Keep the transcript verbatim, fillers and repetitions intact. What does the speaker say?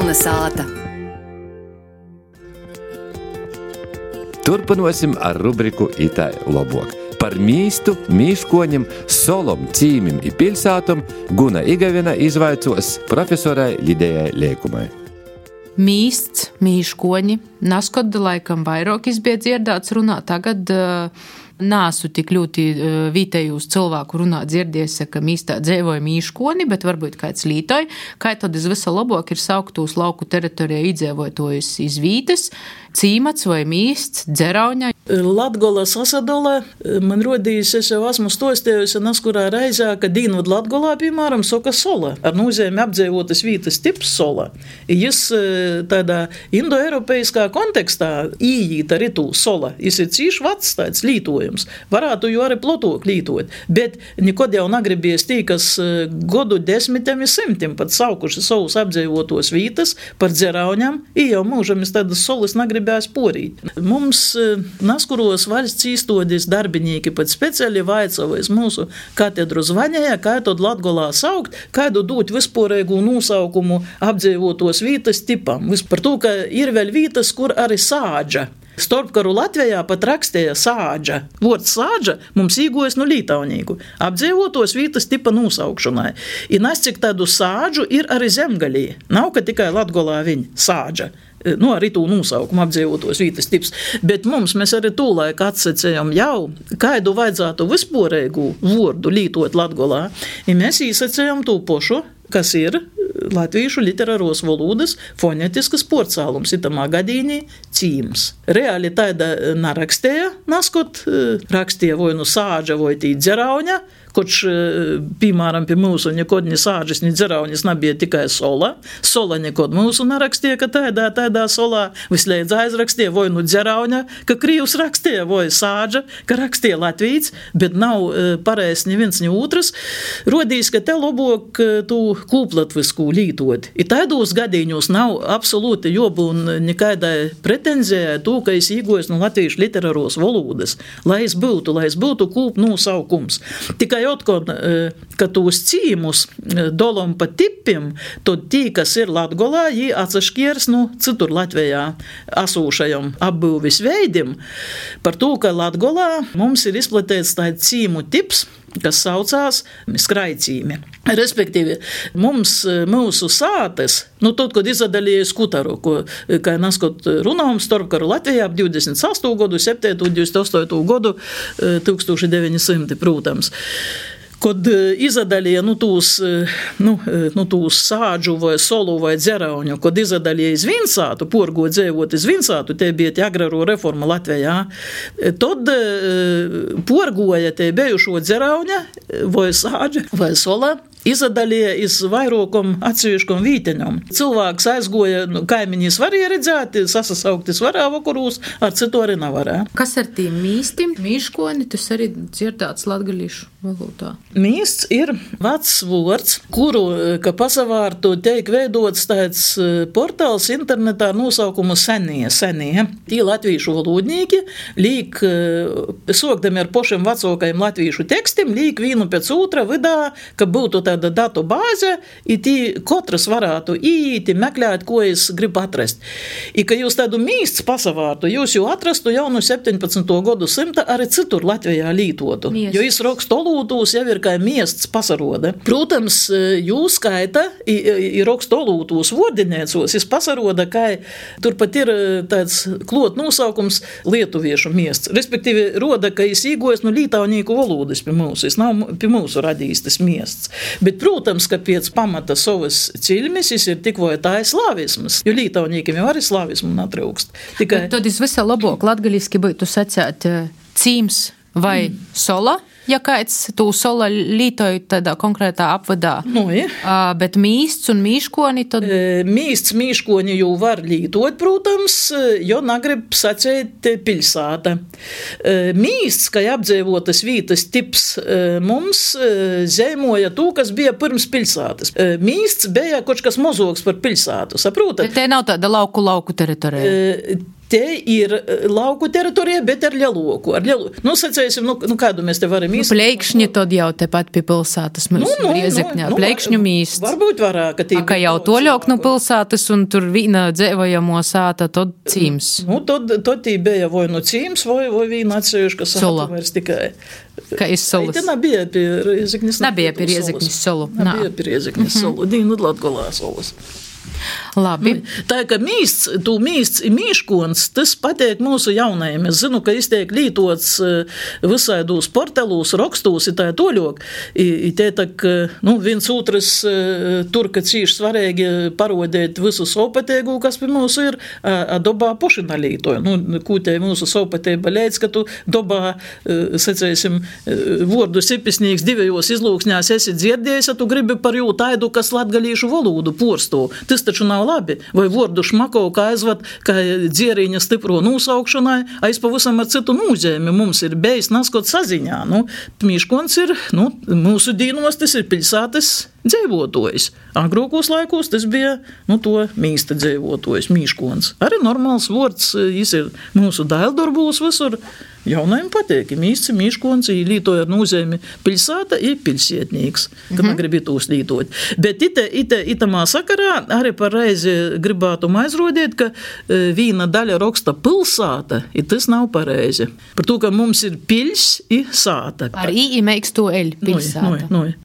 Kalnasāta. Turpinosim ar rubriku Itai lobok. Par mīstu, mīškoņiem, solom, cīmim i piļsātom Guna Igavina izvaicos profesorai Lidejai Leikumai. Mīsts, mīškoņi, naskod laikam vairāk izbiedz dzirdāts runā, tagad uh, nāsu tik ļoti uh, vītējūs cilvēku runā dzirdies, ka mīstā dzēvoja mīškoņi, bet varbūt kāds lītoja, kā tad iz visa labāk ir sauktūs lauku teritorijā idzēvojotojus iz vītes, cīmats vai mīsts, dzerauņa. Latgola sasadolē, man rodījis, es jau esmu stostējusi neskurā reizē, ka Dīnvad Latgolā, piemēram, soka sola, ar nozīmi apdzīvotas vītas tips sola. Jis tādā indoeiropeiskā kontekstā ījīt arī tū sola. Jis ir cīši vacs tāds lītojums. Varētu jau arī plotok lītot, bet nikod jau nagribies tī, kas godu desmitiem i simtiem pat saukuši savus apdzīvotos vītas par dzerauņam, i jau mūžam es tādas solis nagribēs porīt. Mums Naskuros valsts īstodis darbinīki pat speciāli vaicavojas mūsu katedru zvaņēja, kā tad Latgolā saukt, kādu dūt vispārēgu nosaukumu apdzīvotos vītas tipam. Par to, ka ir vēl vītas, kur arī sāģa. Starpkaru Latvijā pat rakstīja sāģa. Vords sāģa mums īgojas no lītaunīku. Apdzīvotos vītas tipa nosaukšanai. I nas cik tādu sāģu ir arī zemgalī. Nav, ka tikai Latgolā viņa sāģa. Nu, arī tū nosaukumu apdzīvotos vītas tips. Bet mums mēs arī tūlaik atsacējam jau, kādu vajadzētu vispārēgu vordu lītot Latgolā. I mēs īsacējam tū pošu, kas ir latviešu literāros valodas fonetiskas porcālums, itamā gadīnī cīms. Reāli tāda narakstīja, naskot, rakstīja vai nu sāģa vai tī dzerauņa, koč, piemēram, pie mūsu nekod ni sāģis, ni dzerauņas nebija tikai sola. Sola nekod mūsu narakstīja, ka tādā, tādā solā visliedz aizrakstīja, vai nu dzerauņa, ka krīvs rakstīja, vai sāģa, ka rakstīja latvīts, bet nav pareiz ni viens, ni otrs. Rodīs, ka te lobok tū kūplatvisku lītot. I tādos gadīņos nav absolūti jobūn nekaidai pretenzijai tū, ka es īgojas no latviešu literāros valodas, lai es būtu, lai es būtu kūp nosaukums. Tikai otkon, ka tūs cīmus dolom pa tipim, tad tī, kas ir Latgolā, jī atsaškiers nu citur Latvijā asūšajam apbūvis veidim, par to, ka Latgolā mums ir izplatīts tāds cīmu tips, kas saucās skraicīmi. Respektīvi, mums, mūsu sātes, nu, tad, kad izadalīja skutaru, ko, kā naskot runām, starpkaru Latvijā ap divdesmit astoto gadu, septīto, divdesmit astoto gadu, tūkstoš deviņi simti, protams. Kad izadalīja nu, tūs, nu, nu, tūs sāģu vai solu vai dzerauņu, kad izadalīja iz Vinsātu, porgo dzēvot iz Vinsātu, te bija tie agraro reforma Latvijā, tad porgoja te bijušo dzerauņa vai sāģa vai sola, izadalīja iz vairākam atsevišķam vīteņam. Cilvēks aizgoja, nu, kaimiņīs varēja redzēt, sasasauktis varēja vakarūs, ar citu arī nevarēja. Kas ar tīm mīstim, mīškoni, tas arī dzirdāts latgalīšu valodā? Mīsts ir vecs vords, kuru, ka pasavārtu, teik veidots tāds portāls internetā nosaukumu senie, senie. Tī latvīšu valodnīki līk, sokdami ar pošiem vecākajiem latvīšu tekstim, līk vīnu pēc otra vidā, ka būtu tāda datu bāze, i tī katrs varētu īīt, meklēt, ko es gribu atrast. I, ka jūs tādu mīsts pasavārtu, jūs jau atrastu jau no septiņpadsmito gadu simta arī citur Latvijā lītotu. Miest. Jo es rakstu olūtūs jau ir kā miests pasaroda. Protams, jūs skaita, i, i rakstu olūtūs vordinēcos, es pasaroda, kā turpat ir tāds klot nosaukums lietuviešu miests. Respektīvi, roda, ka es īgojas no lītaunīku valodas pie mūsu, es nav pie mūsu radījis tas miests. Bet, protams, ka pēc pamata savas ciļmes ir tik vai tā ir slāvisms, jo lītaunīkiem jau arī slāvismu natrūkst. Tikai... Tad es visā labāk latgaliski būtu sacēt cīms vai mm. sola, ja kāds tū sola lītoju tādā konkrētā apvadā. Nu, ja. uh, bet mīsts un mīškoni tad... E, mīsts, mīškoni jau var lītot, protams, jo nagrib sacēt piļsāta. E, mīsts, kā apdzīvotas vītas tips, e, mums e, zeimoja tū, kas bija pirms piļsātas. E, mīsts bija kaut kas mozoks par piļsātu, saprotat? Bet te nav tāda lauku lauku teritorija. E, te ir lauku teritorija, bet ar lieloku. Ar lielu, nu, sacēsim, nu, nu kādu mēs te varam īsti. Nu, pleikšņi tad jau tepat pie pilsētas mums nu, nu, Riezekņā. Nu, pleikšņu mīsts. Varbūt varāk, ka tī. Ka jau toļok no pilsētas un tur vīna dzēvojamo sāta, tad cīms. Nu, tad, tad tī bija vai no cīms, vai, vai vīna atsevišķa sāta vairs tikai. Kā iz solas. Te nebija pie Riezekņas. Nebija pie Riezekņas solu. Nebija pie Riezekņas solu. Dīnu Latgolā solas. Labi. Tā kā mīsts, tu mīsts ir mīškons, tas pateik mūsu jaunajiem. Es zinu, ka iztiek lītots visādūs portalūs, rakstūs, ir tā toļok. I te tak, nu, viens otrs tur, ka cīši svarīgi parodēt visu sopatēgu, kas pie mūsu ir, a dobā pošina lītoja. Nu, kūtē mūsu sopatēba leidz, ka tu dobā, sacēsim, vordu sipisnīgs divajos izlūksņās esi dzirdējis, ja tu gribi par jū taidu, kas latgalīšu volūdu porsto. Tas taču nav labi. Vai vordu šmako, kā aizvat, kā dzieriņa stipro nūsaukšanai, aiz pavisam ar citu nūzēmi. Mums ir bejs naskot saziņā. Nu, mīškons ir, nu, mūsu dīnos tas ir piļsātes dzēvotojs. Agrūkos laikos tas bija, nu, to mīsta dzēvotojs, mīškons. Arī normāls vords, jis ir mūsu daildorbuls visur. Jaunajiem pateik, mīsts, mīškons, lītoja ar nūzēmi piļsāta ir piļsietnīgs, kad mm-hmm. negribi tūs lītot. Bet ite, ite, itamā sakarā arī par reizi gribētu aizrodēt, ka vīna daļa raksta pilsāta, ir tas nav pareizi. Par to, ka mums ir piļs i sāta. Ar i imeiks to eļ, pilsāta. Noi, noi, noi.